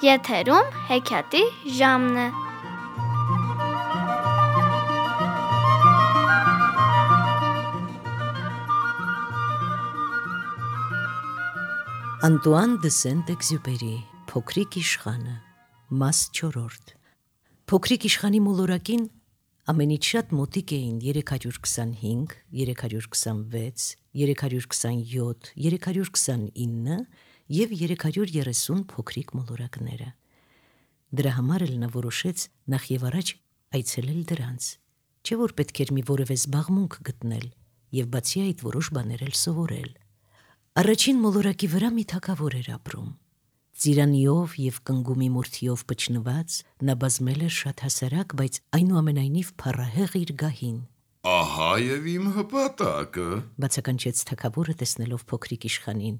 Եթերում հեքիաթի ժամն է։ Անտուան դը Սենտ-Էքզյուպերի Փոքրիկ իշխանը, մաս 4 Փոքրիկ իշխանի մոլորակին ամենից շատ մոտիկ էին 325, 326, 327, 329 և 330 փոքրիկ մոլորակները։ Դրա համար էլ նա որոշեց նախ և առաջ այցելել դրանց, չէ որ պետք էր մի որևէ զբաղմունք գտնել և բացի այդ որոշ բաներ էլ սովորել։ Առաջին մոլորակի վրա մի թագավոր էր ապրում։ Ծիրանիով և կնգումի մորթիով պչնված նա բազմել էր շատ հասարակ, բայց այնուամենայնիվ փառահեղ իր գահին։ Ահա և իմ հպատակը, բացականչեց թագավորը տեսնելով փոքրիկ իշխանին։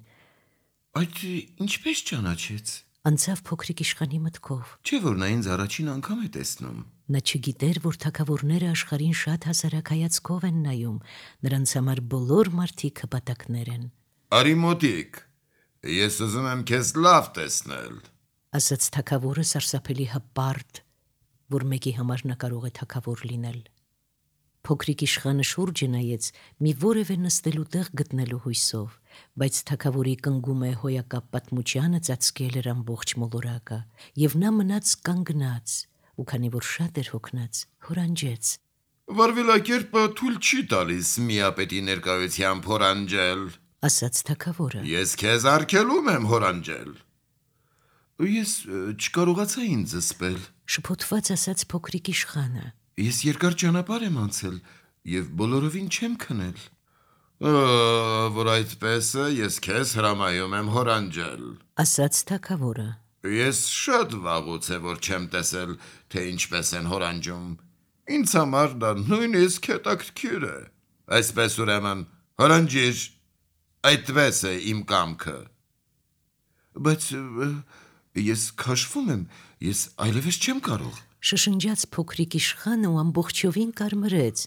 Այդ ինչպես ճանաչեց։ Անցավ փոքրիկ իշխանի մտքով։ Չէ որ նա ինձ առաջին անգամ է տեսնում։ Նա չգիտեր, որ թագավորները աշխարհին շատ հասարակ հայացքով են նայում, նրանց համար բոլոր մարդիկ հպատակներ են։ Արի մոտիկ, ես ուզում եմ քեզ լավ տեսնել, ասաց թագավորը սարսափելի հպարտ, որ մեկի համար նա կարող է թագավոր լինել։ Փոքրիկ իշխանը շուրջը նայեց մի որևէ նստելու տեղ գտնելու հույսով, բայց թագավորի կնգումե հոյակապ պատմությանը ծածկել էր ամբողջ մոլորակը, և նա մնաց կանգնած, ու քանի որ շատ էր հոգնած, հորանջեց. Վարվելակերպը թույլ չի տալիս միապետի ներկայությամբ հորանջել, ասաց թագավորը։ Ես քեզ արգելում եմ հորանջել։ Ես չկարողացա ինձ զսպել, շփոթված ասաց փոքրիկ իշխանը։ Ես երկար ճանապարհ եմ անցել և բոլորովին չեմ քնել, որ այդպես է, ես քեզ հրամայում եմ հորանջել, ասաց թագավորը։ Ես շատ վաղուց է, որ չեմ տեսել, թե ինչպես են հորանջում, ինձ համար դա նույնիսկ հետաքրքիր է, այսպես ուրեմն հորանջիր, այդպես է իմ կամքը, բայց ես քաշվում եմ, ես այլևս չեմ կարող, շշնջաց փոքրիկ իշխանը ու ամբողջովին կարմրեց։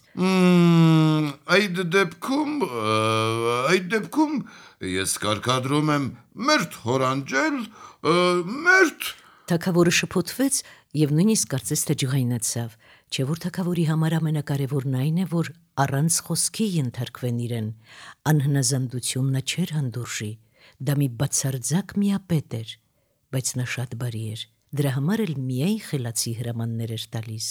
Այդ դեպքում ես կարգադրում եմ մերթ հորանջել, մերթ։ Թագավորը շփոթվեց և նույնիսկ կարծես թե ջղայնացավ, չէ որ թագավորի համար ամենակարևորն այն է, որ առանց խոսքի ենթարկվեն իրեն, անհնազանդություն նա չէր հանդուրժի, դա մի բացարձակ միապետ էր, բայց նա շատ բարի էր, դրա համար էլ միայն խելացի հրամաններ էր տալիս։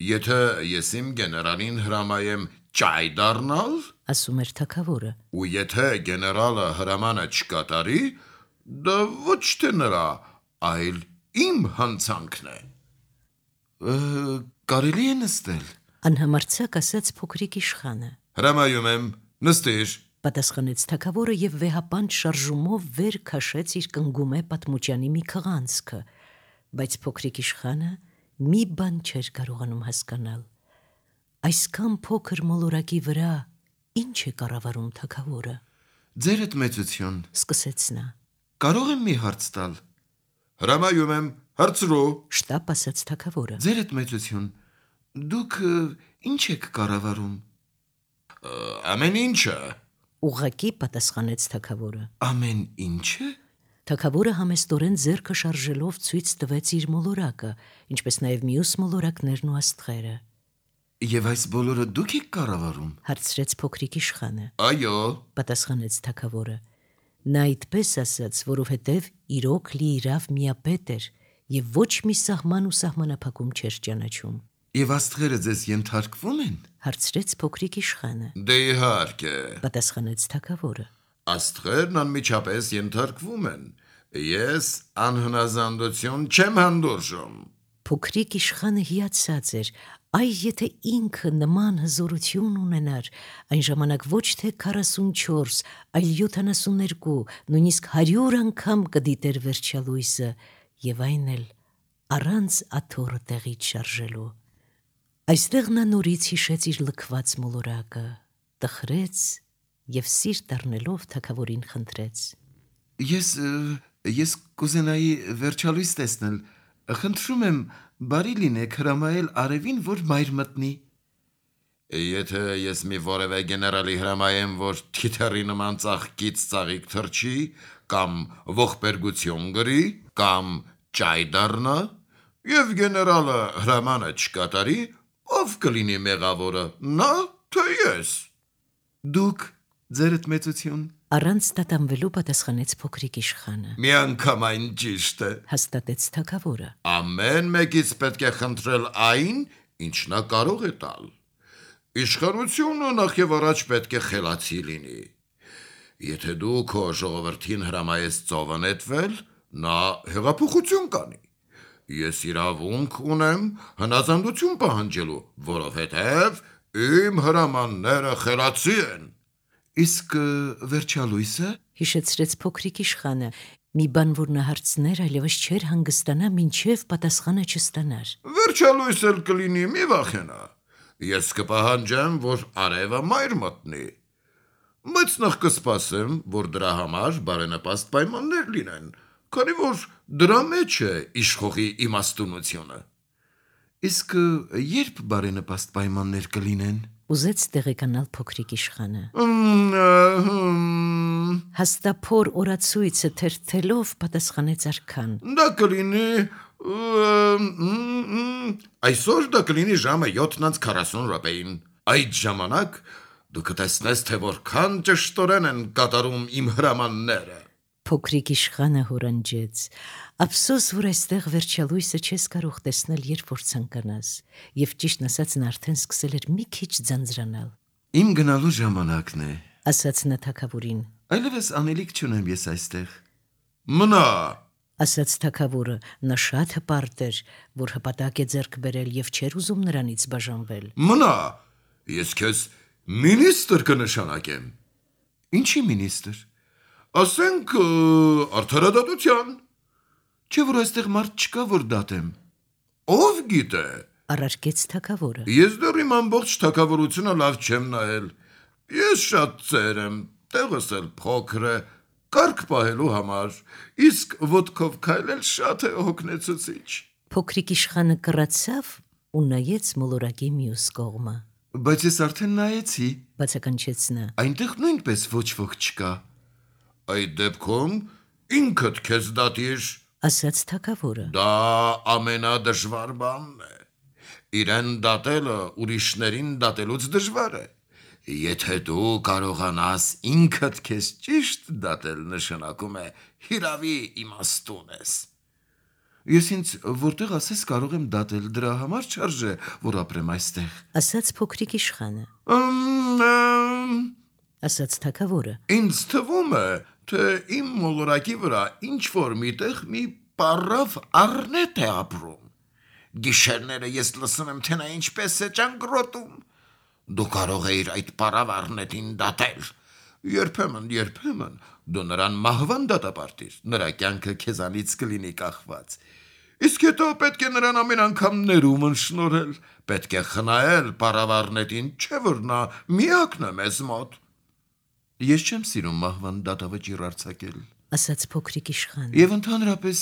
Եթե ես իմ գեներալին հրամայեմ ճայ դառնալ, ասում էր թագավորը, ու եթե գեներալը հրամանը չկատարի, դա ոչ թե նրա, այլ իմ հանցանքն է։ Կարելի է նստել, անհամարձակ ասաց փոքրիկ իշխանը։ Հրամայում եմ, նստիր, պատասխանեց թագավորը և վեհապանճ շարժումով վեր քաշեց իր կնգումե պատմուճանի մի քղանցքը, բայց փոքրիկ իշխանը մի բան չէր կարողանում հասկանալ. այսքան փոքր մոլորակի վրա ինչ է կառավարում թագավորը։ Ձերդ մեծություն, սկսեց նա, կարող եմ մի հարց տալ, հրամայում եմ, հարցրու, շտապ ասաց թագավորը։ Ձերդ մեծություն, դուք ինչ եք կառավարում։ Ամեն ինչը, ուղղակի պատասխանեց թագավորը։ Ամեն ինչը։ Թագավորը համեստորեն ձեռքը շարժելով ցույց տվեց իր մոլորակը, ինչպես նաև մյուս մոլորակներն ու աստղերը։ Եվ այս բոլորը դուք եք կառավարում, հարցրեց փոքրիկ իշխանը։ Այո, պատասխանեց թագավորը։ Նա այդպես ասաց, որովհետև իրոք լիիրավ միապետ էր և ոչ մի սահման ու սահմանափակում չէր ճանաչում։ Եվ աստղերը ձեզ ենթարկվում են, հարցրեց փոքրիկ իշխանը։ Դե իհարկե, պատասխանեց թագավորը։ Աստղերն անմիջապես ենթարկվում են, ես անհնազանդություն չեմ հանդուրժում։ Փոքրիկ իշխանը հիացած էր, այ եթե ինքը նման հզորություն ունենար, այն ժամանակ ոչ թե 44, այլ 72, նույնիսկ 100 անգամ կդիտեր վերջալույսը, և այն էլ առանց աթոռը տեղից շարժելու։ Այստեղ նա նորից հիշեց իր լքված մոլորակը, տխրեց և սիրտ առնելով թագավորին խնդրեց. Ես կուզենայի վերջալույս տեսնել, խնդրում եմ բարի լինեք հրամայել արևին, որ մայր մտնի։ Եթե ես մի որևէ գեներալի հրամայեմ, որ թիթեռի նման ծաղկից ծաղիկ թռչի, կամ ողբերգություն գրի, կամ ճայ դառնա, եւ գեներալը հրամանը չկատարի, ով կլինի մեղավորը, նա թե ես։ Դուք ձերդ մեծություն։ Առանց տատանվելու պատասխանեց փոքրիկ իշխանը։ Միանգամայն ճիշտ է։ Հաստատեց թագավորը։ Ամեն մեկից պետք է խնդրել այն, ինչ նա կարող է տալ։ Իշխանությունը նախ եւ առաջ պետք է խելացի լինի։ Եթե դու քո ժողովրդին հրամայես ծովը նետվել, նա հեղափոխություն կանի։ Ես իրավունք ունեմ հնազանդություն պահանջելու, որովհետև իմ հրամանները խելացի են։ Իսկ վերջալույսը, Հիշեցրեց փոքրիկ իշխանը, մի բան, որ նա հարցներ այլևս չէր հանգստանա, մինչև պատասխանը չստանար։ Վերջալույս էլ կլինի, մի վախենա։ Ես կպահանջեմ, որ արևը մայր մտնի։ Բայց նախ կսպասեմ, որ դրա համար բարենպաստ պայմաններ լինեն, քանի որ դրա մեջ է իշխողի իմաստունությունը։ Իսկ երբ բարենպաստ պայմաններ կլինեն։ Ուզեց տեղեկանալ փոքրիկ իշխանը։ Հաստափոր օրացույցը թերթելով պատասխանեց արքան։ Դա կլինի այսօր դա կլինի ժամը 7:40 րոպեին։ Այդ ժամանակ դու կտեսնես, թե որքան ճշտորեն են կատարում իմ հրամանները։ Փոքրիկ իշխանը հորանջեց. Ափսոս, որ այստեղ վերջալույսը չես կարող տեսնել, երբ որ ցանկանաս, եւ ճիշտն ասած նա արդեն սկսել էր մի քիչ ձանձրանալ։ Իմ գնալու ժամանակն է, Ասաց նա թագավորին։ այլևս անելիք չունեմ ես այստեղ։ Մնա, Ասաց թագավորը, նա շատ հպարտ էր, որ հպատակ է ձեռք բերել եւ չէր ուզում նրանից բաժանվել։ մնա, ես քեզ մինիստր կնշանակեմ։ Ինչի մինիստր։ Ասենք արդարադատության։ Չէ՞ որ այստեղ մարդ չկա, որ դատեմ։ Ով գիտե։ Առարկեց թագավորը։ Ես դեռ իմ ամբողջ թագավորությունը լավ չեմ նայել։ Ես շատ ծեր եմ, տեղս էլ փոքր է, կարգ պահելու համար, իսկ ոտքով քայլել շատ է հոգնեցուցիչ։ Փոքրիկ իշխանը կռացավ ու նայեց մոլորակի մյուս կողմը։ Բայց ես արդեն նայեցի, Բացականչեց նա։ այնտեղ նույնպես ոչ ոք չկա։ Այդ դեպքում ինքդ քեզ դատիր։ Ասաց թագավորը։ Դա ամենադժվար բանն է։ Իրեն դատելը ուրիշներին դատելուց դժվար է։ Եթե դու կարողանաս ինքդ քեզ ճիշտ դատել, նշանակում է հիրավի իմաստուն ես։ Ես ինձ որտեղ ասես կարող եմ դատել, դրա համար չարժե, որ ապրեմ այստեղ։ Ասաց փոքրիկ իշխանը։ Ասաց թագավորը։ Ինձ թվում է, թե իմ մոլորակի վրա ինչ-որ միտեղ մի պառավ առնետ է ապրում։ Գիշերները ես լսում եմ, թե նա ինչպես է ճանկռոտում։ Դու կարող էիր այդ պառավ առնետին դատել։ Երբեմն դու նրան մահվան դատապարտիր, նրա կյանքը քեզանից կլինի կախված։ Իսկ հետո պետք է նրան ամեն անգամ ներումն շնորհել, պետք է խնայել պառավ առնետին, չէ՞ որ նա միակն է մեզ մոտ։ Ես չեմ սիրում մահվան դատավճիռ արձակել։ Ասաց փոքրիկ իշխանը։ Եվ ընդհանրապես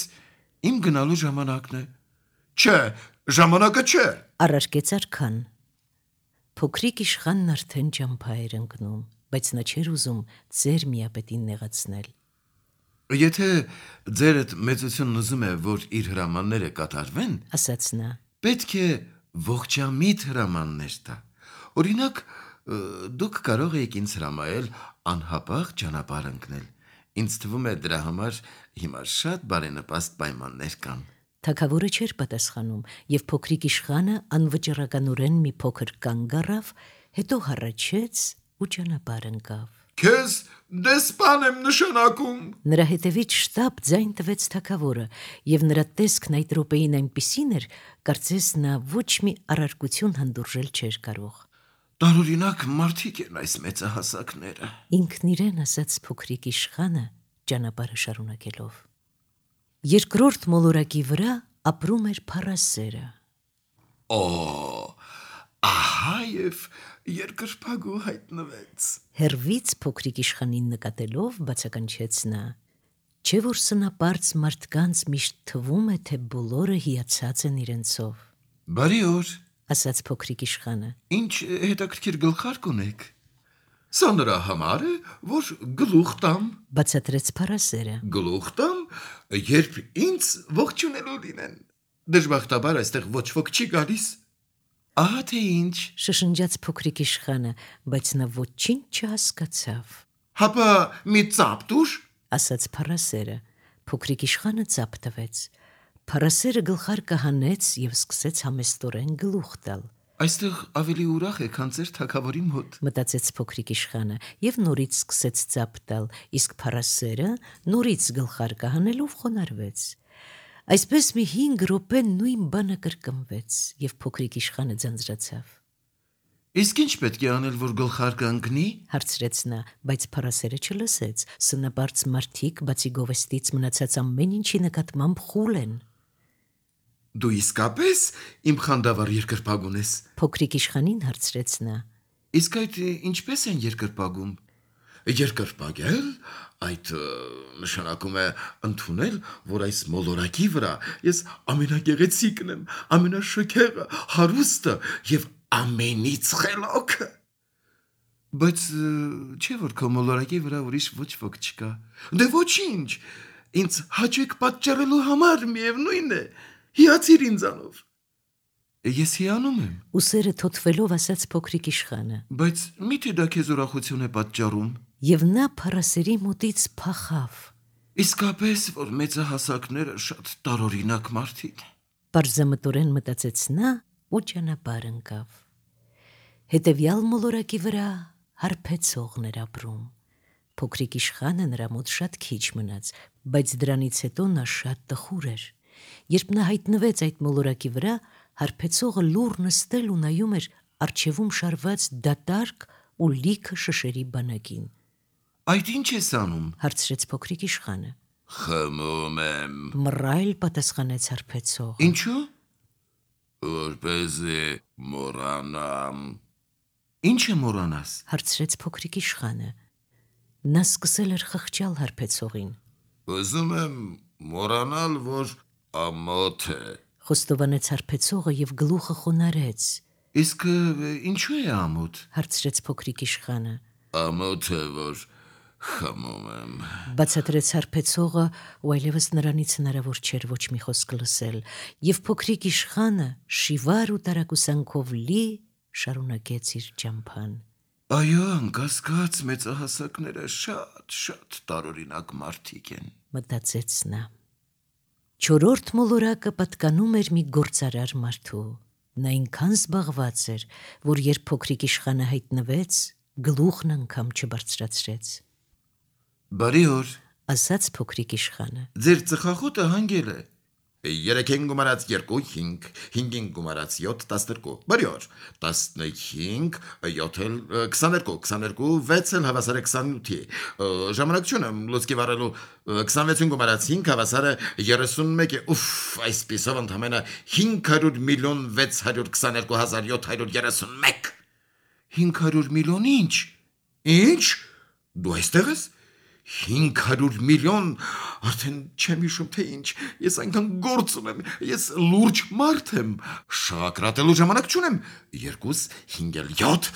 իմ գնալու ժամանակն է։ Չէ, ժամանակը չէ։ Առարկեց արքան։ Փոքրիկ իշխանն արդեն ճամփա էր ընկնում, բայց նա չէր ուզում ձեր միապետին նեղացնել։ Եթե ձերդ մեծությունն ուզում է, որ իր հրամանները կատարվեն, Ասաց նա։ պետք է ողջամիտ հրամաններ տա։ Օրինակ, դուք կարող եք ինձ հրամայել անհապաղ ճանապարհ ընկնել։ Ինձ թվում է դրա համար հիմա շատ բարենպաստ պայմաններ կան։ Թագավորը չէր պատասխանում, եւ փոքրիկ իշխանը անվճռականորեն մի փոքր կանգ առավ, հետո հառաչեց ու ճանապարհ ընկավ։ Քեզ դեսպան եմ նշանակում։ Նրա հետևից շտապ ձայն տվեց թագավորը, եւ նրա տեսքն այդ րոպեին այնպիսին էր, կարծես նա ոչ մի առարկություն հանդուրժել չէր կարող։ Տարօրինակ մարդիկ են այս մեծահասակները։ Ինքն իրեն ասաց փոքրիկ իշխանը ճանապարհը շարունակելով։ Երկրորդ մոլորակի վրա ապրում էր փառասերը։ Ահա եւ երկրպագու հայտնվեց։ Հերվից փոքրիկ իշխանին նկատելով բացականչեց նա. Չէ որ սնապարծ մարդկանց միշտ թվում է, թե բոլորը հիացած են իրենցով, Բարի օր, ասաց փոքրիկ իշխանը։ ինչ հետաքրքիր գլխարկ ունեք։ Սա նրա համար է, որ գլուխ տամ, բացատրեց Փարասերը։ գլուխ տամ, երբ ինձ ողջունելու լինեն։ Դժբախտաբար այստեղ ոչ ոք չի գալիս։ Ահա թե ինչ։ Շշնջաց փոքրիկ իշխանը, բայց նա ոչինչ չհասկացավ։ Հապա մի ծապ տուր։ Ասաց Փարասերը։ Փոքրիկ իշխանը ծապ տվեց։ Փարասերը գլխարկը հանեց եւ սկսեց համեստորեն գլուխ տալ։ Այստեղ ավելի ուրախ է, քան ձեր թագավորի մոտ։ Մտածեց փոքրիկ իշխանը եւ նորից սկսեց ծապ տալ, իսկ Փարասերը նորից գլխարկը հանելով խոնարհվեց։ Այսպես մի 5 րոպե նույն բանը կրկնվեց եւ փոքրիկ իշխանը ձանձրացավ։ Իսկ ինչ պետք է անել, որ գլխարկը ընկնի։ Հարցրեց նա, բայց Փարասերը չլսեց։ Սնապարծ մարդիկ բացի գովեստից մնացած ամեն ինչի նկատմամբ խուլ են։ Դու իսկապես իմ խանդավառ երկրպագուն ես։ Փոքրիկ իշխանին հարցրեց նա։ Իսկ այդ ինչպես են երկրպագում։ Երկրպագել, այդ նշանակում է ընդունել, որ այս մոլորակի վրա ես ամենագեղեցիկն եմ, ամենաշքեղը, հարուստը եւ ամենից խելոքը։ Բայց չէ՞ որ քո մոլորակի վրա ուրիշ ոչ ոք չկա։ Դե ոչինչ, ինձ հաճեք պատճառելու համար միևնույն է։ Հիացիր ինձանով։ Ես հիանում եմ։ Ուսերը թոթվելով ասաց փոքրիկ իշխանը։ Բայց մի՞թե դա քեզ ուրախություն է պատճառում։ Եվ նա Փարասերի մոտից փախավ։ Իսկապես, որ մեծահասակները շատ տարօրինակ մարդիկ են։ Պարզամտորեն մտածեց նա ու ճանապարհ ընկավ։ Հետևյալ մոլորակի վրա հարբեցողն էր ապրում։ Փոքրիկ իշխանը նրա մոտ շատ քիչ մնաց, բայց դրանից հետո նա շատ տխուր էր։ Երբ նա հայտնվեց այդ մոլորակի վրա, հարբեցողը լուռ նստել ու նայում էր առջևում շարված դատարկ ու լիքը շշերի բանակին։ Այդ ինչ ես անում։ Հարցրեց փոքրիկ իշխանը։ Խմում եմ։ Մռայլ պատասխանեց հարբեցողը։ Ինչու։ Որպեսզի մոռանամ։ Ինչ է մոռանաս։ Հարցրեց փոքրիկ իշխանը։ Նա սկսել էր խղճալ հարբեցողին։ Ուզում եմ մոռանալ, որ ամոթ է։ Խոստովանեց հարբեցողը եւ գլուխը խոնարհեց։ Իսկ ինչու է ամոթ։ Հարցրեց փոքրիկ իշխանը։ Ամոթ է, որ խմում եմ։ Բացատրեց հարբեցողը, ու այլևս նրանից հնարավոր չէր ոչ մի խոսք լսել, եւ փոքրիկ իշխանը շիվար ու տարակուսանքով լի շարունակեց իր ճամփան։ Այո, անկասկած մեծահասակները շատ տարօրինակ մարդիկ են։ Մտածեց նա։ Չորրորդ մոլորակը պատկանում էր մի գործարար մարդու։ Նա այնքան զբաղված էր, որ երբ փոքրիկ իշխանը հայտնվեց, գլուխն անգամ չբարձրացրեց։ Բարի օր։ Ասաց փոքրիկ իշխանը։ Ձեր ծխախոտը հանգել է։ 3-ին գումարած 2, 5, 5-ին գումարած 7, 12, բարի օր, 15, 7, 22, 22, 6-ը հավասար է 28-ի, ժամանակ չունեմ լուցկի վառելու, 26-ին գումարած 5 հավասար է 31-ի, այսպիսով ընդամենը 500 միլիոն 622 հազար 731։ 500 միլիոն ինչ։ Ինչ։ Դու այստեղ ես։ 500 միլիոն, արդեն չեմ հիշում թե ինչ, ես այնքան գործ ունեմ, ես լուրջ մարդ եմ, շաղակրատելու ժամանակ չունեմ, 2, 5, 7,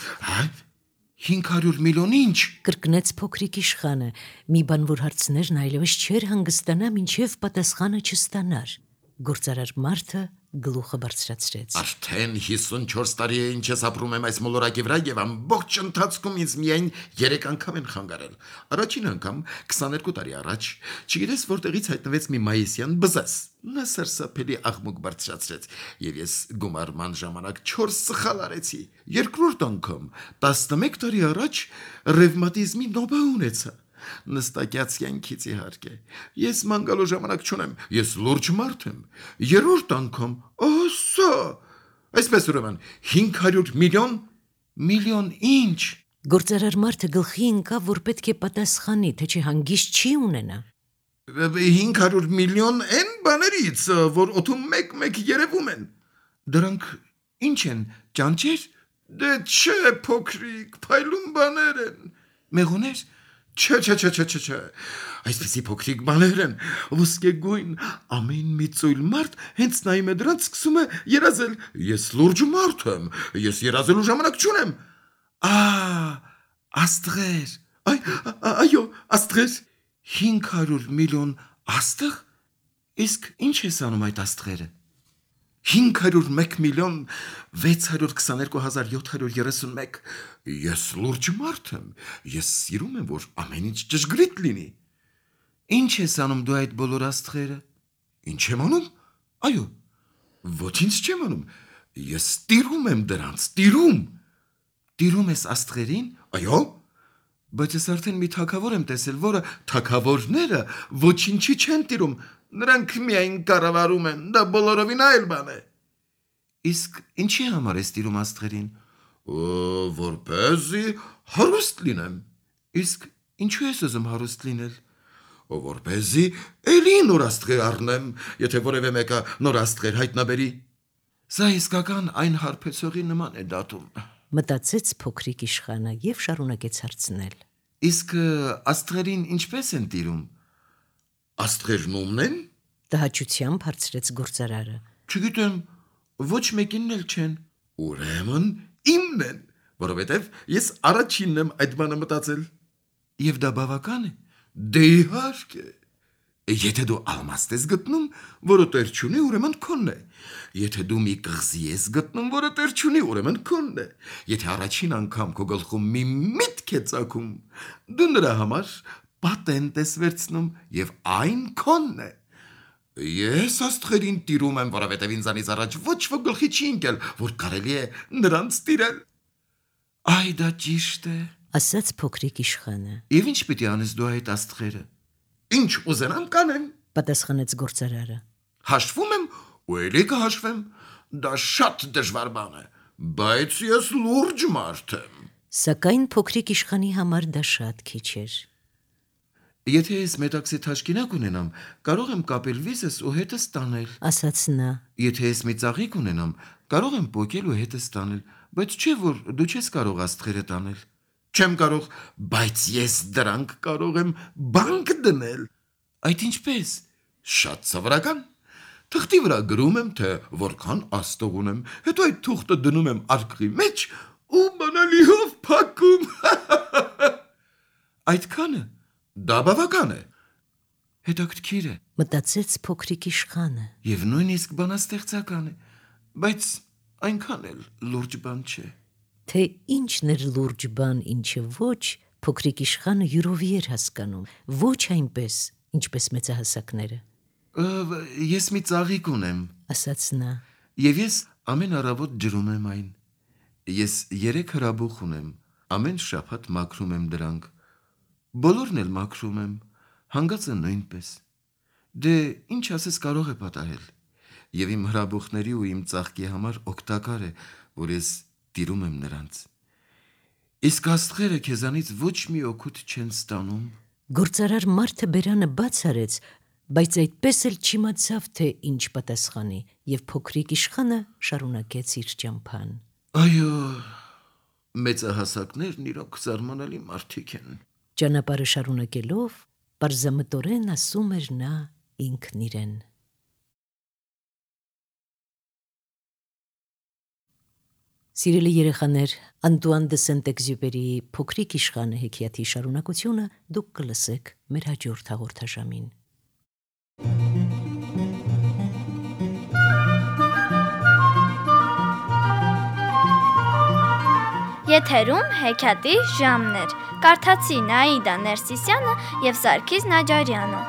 500 միլիոն ինչ։ Կրկնեց փոքրիկ իշխանը, մի բան որ հարցներն այլևս չէր հանգստանա, մինչև պատասխանը չստանար։ Գործարար մարդը գլուխը բարձրացրեց։ Արդեն 54 տարի է ինչ ես ապրում եմ այս մոլորակի վրա եւ ամբողջ ընթացքում ինձ միայն 3 անգամ են խանգարել։ Առաջին անգամ 22 տարի առաջ, չգիտես որտեղից հայտնվեց մի մայիսյան բզազ։ Նա սարսափելի աղմուկ բարձրացրեց եւ ես գումարման ժամանակ 4 սխալ արեցի։ Երկրորդ անգամ 11 տարի առաջ ռևմատիզմի նոբա ունեցա։ Նստակյաց յանքից իհարկե։ Ես ման գալու ժամանակ չունեմ, ես լուրջ մարդ եմ։ Երրորդ անգամ, ասա, այսպես ուրեմն 500 միլիոն ինչ։ Գործարար մարդը գլխի ընկավ, որ պետք է պատասխանի, թե չէ հանգիստ չի ունենա։ 500 միլիոն են բաներից, որ օդում մեկ-մեկ երևում են։ Դրանք ինչ են, ճանճեր։ Դե չէ, փոքրիկ, փայլուն բաներ են։ Մեղուներ։ Չէ, այսպեսի փոքրիկ բաներ են, ոսկեգույն, ամեն մի ծույլ մարդ հենց նայում է դրանց սկսում է երազել, ես լուրջ մարդ եմ, ես երազելու ժամանակ չունեմ, Աստղեր, այո, աստղեր, 500 միլիոն աստղ, իսկ ինչ ես անում այդ աստղերը, 501 միլիոն 622,731, ես լուրջ մարդ եմ, ես սիրում եմ, որ ամեն ինչ ճշգրիտ լինի, ինչ ես անում դու այդ բոլոր աստղերը, ինչ եմ անում, այո, ոչինչ չեմ անում, ես տիրում եմ դրանց, տիրում ես աստղերին, այո, բայց ես արդեն մի թագավոր եմ տեսել, որը թագավորները ոչինչի չեն տիրում, նրանք միայն կառավարում են, դա բոլորովին այլ բան է։ Իսկ ինչի համար ես տիրում աստղերին, որպեսզի հարուստ լինեմ, իսկ ինչու ես ուզում հարուստ լինել, որպեսզի էլի նոր աստղեր առնեմ, եթե որևէ մեկը նոր աստղեր հայտնաբերի, սա իսկական այն հարբեցողի նման է դատում։ Մտածեց փոքրիկ իշխանը եւ շարունակեց հարցնել. Իսկ աստղերին ինչպես են տիրում, աստղերն ումն են, Տհաճությամբ հարցրեց գործարարը. Չգիտեմ, ոչ մեկինն էլ չեն, ուրեմն իմն են, որովհետև ես առաջինն եմ այդ բանը մտածել, և դա բավական է, դե իհարկե, եթե դու ալմաստ ես գտնում, որը տեր չունի, ուրեմն քոնն է, եթե դու մի կղզի ես գտնում, որը տեր չունի, ուրեմն քոնն է, եթե առաջին անգամ քո գլխում մի միտք է ծագում, դու նրա համար պատենտ ես վերցնում և այն քոնն է։ Ես աստղերին տիրում եմ, որովհետև ինձանից առաջ ոչ ոք գլխի չի ընկել, որ կարելի է նրանց տիրել։ Այ դա ճիշտ է, ասաց փոքրիկ իշխանը, և ինչ պիտի անես դու այդ աստղերը։ Ինչ ուզենամ կանեմ, պատասխանեց գործարարը. հաշվում եմ ու էլի կհաշվեմ, դա շատ դժվար բան է, բայց ես լուրջ մարդ եմ։ Սակայն փոքրիկ իշխանի համար դա շատ քիչ էր։ Եթե ես մետաքսի թաշկինակ ունենամ, կարող եմ կապել վիզս ու հետս տանել, ասաց նա. եթե ես մի ծաղիկ ունենամ, կարող եմ պոկել ու հետս տանել, բայց չէ որ դու չես կարող աստղերը տանել, չեմ կարող, բայց ես դրանք կարող եմ բանկ դնել, այդ ինչպես, շատ սովորական, թղթի վրա գրում եմ, թե որքան աստղ ունեմ, հետո այդ թուղթը դնում եմ արկղի մեջ ու բանալիով փակում, այդքանը, դա բավական է, հետաքրքիր է, մտածեց փոքրիկ իշխանը, և նույնիսկ բանաստեղծական է, բայց այնքան էլ լուրջ բան չէ։ թե ինչն էր լուրջ բան, ինչը ոչ, փոքրիկ իշխանը յուրովի էր հասկանում, ոչ այնպես, ինչպես մեծահասակները, Ես մի ծաղիկ ունեմ, ասաց նա. և ես ամեն առավոտ ջրում եմ այն, ես 3 հրաբուխ ունեմ, ամեն շաբաթ մաքրում եմ դրանք, բոլորն էլ մաքրում եմ, հանգածը նույնպես, դե ինչ ասես կարող է պատահել, և իմ հրաբուխների ու իմ ծաղկի համար օգտակար է, որ ես տիրում եմ նրանց, իսկ աստղերը քեզանից ոչ մի օգուտ չեն ստանում, Գործարար մարդը բերանը բաց արեց, բայց այդպես էլ չիմացավ, թե ինչ պատասխանի, և փոքրիկ իշխանը շարունակեց իր ճամփան. այո, մեծահասակներն իրոք զարմանալի մարդիկ են, Ճանապարհը շարունակելով, պարզամտորեն ասում էր նա ինքն իրեն. Սիրելի երեխաներ, Անտուան դե Սենտեքզյուպերիի փոքրիկ իշխանը հեքիաթի շարունակությունը դուք կլսեք մեր հաջորդ հաղորդաշամին։ Եթերում հեքիաթի ժամն էր։ Կարդացի Նաիդա Ներսիսյանը և Սարգիս Նաջարյանը։